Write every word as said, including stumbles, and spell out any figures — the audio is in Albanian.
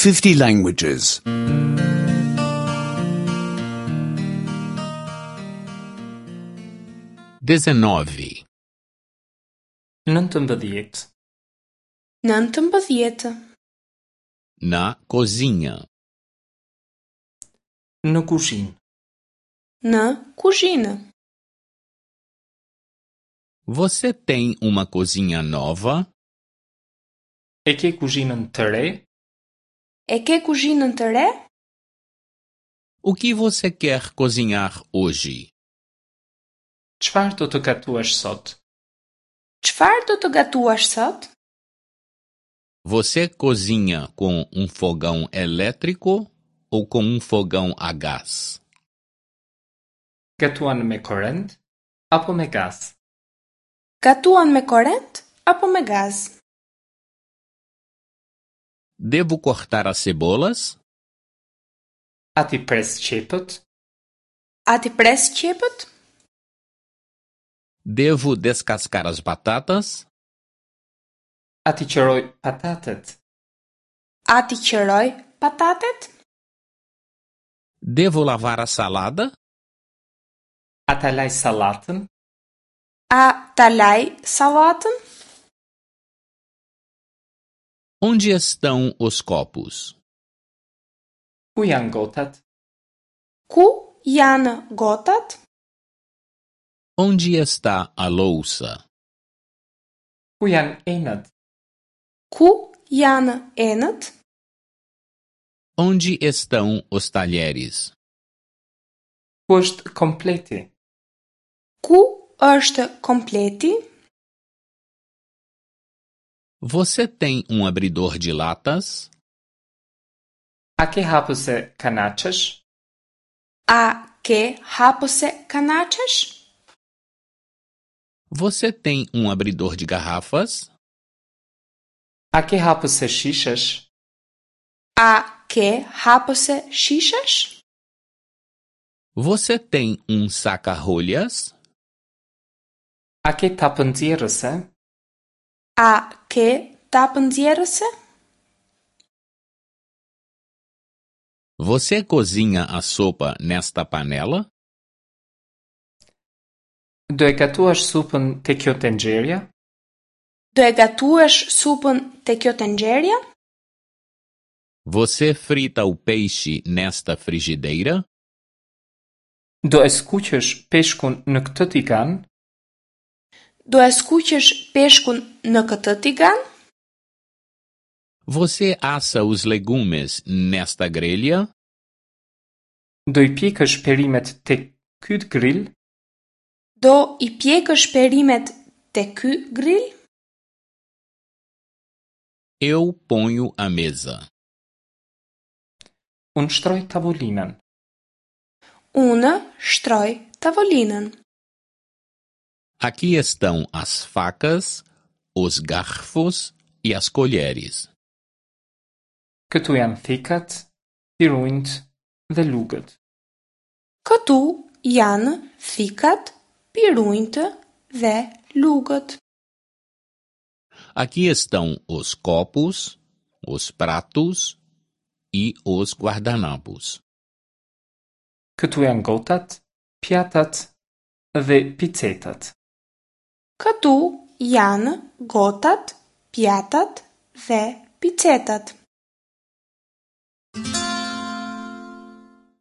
fifty languages. Dezenove, Nëntëmbëdhjetë, Nëntëmbëdhjetë. na cozinha, në kuzhinë. Në kuzhinë. Você tem uma cozinha nova? E ke kuzhinën të re? E ke kuzhinën të re? O que você quer cozinhar hoje? Çfarë do të gatuash sot? Çfarë do të gatuash sot? Você cozinha com um fogão elétrico ou com um fogão a gás? Gatuan me korrent apo me gaz? Gatuan me korrent apo me gaz? Devo cortar as cebolas? A t'i pres qepët? A t'i pres qepët? Devo descascar as batatas? A t'i qëroj patatet? A t'i qëroj patatet? Devo lavar a salada? A ta laj sallatën? A ta laj sallatën? Onde estão os copos? Ku janë gotat? Ku janë gotat? Onde está a louça? Ku janë enët? Ku janë enët? Onde estão os talheres? Ku është kompleti? Ku është kompleti? Você tem um abridor de latas? A ke hapëse kanaçesh? A ke hapëse kanaçesh? Você tem um abridor de garrafas? A ke hapëse shishesh? A ke hapëse shishesh? Você tem um saca-rolhas? A ke tapë nxjerrëse? A ke tapë nxjerrëse? Você cozinha a sopa nesta panela? Do e gatuash supën te kjo tenxherja? Do e gatuash supën te kjo tenxherja? Você frita o peixe nesta frigideira? Do e skuqësh peshkun në këtë tigan? Do e skuqësh peshkun në këtë tigan? Você assa os legumes nesta grelha? Do i pjekësh perimet te ky grill? Do i pjekësh perimet te ky grill? Eu ponho a mesa. Unë shtroj tavolinën. Unë shtroj tavolinën. Aqui estão as facas, os garfos e as colheres. Këtu janë thikat, pirunjt dhe lugët. Këtu janë thikat, pirunjtë dhe lugët. Aqui estão os copos, os pratos e os guardanapos. Këtu janë gotat, pjatat dhe picetat. Këtu janë gotat, pjatat dhe picetat.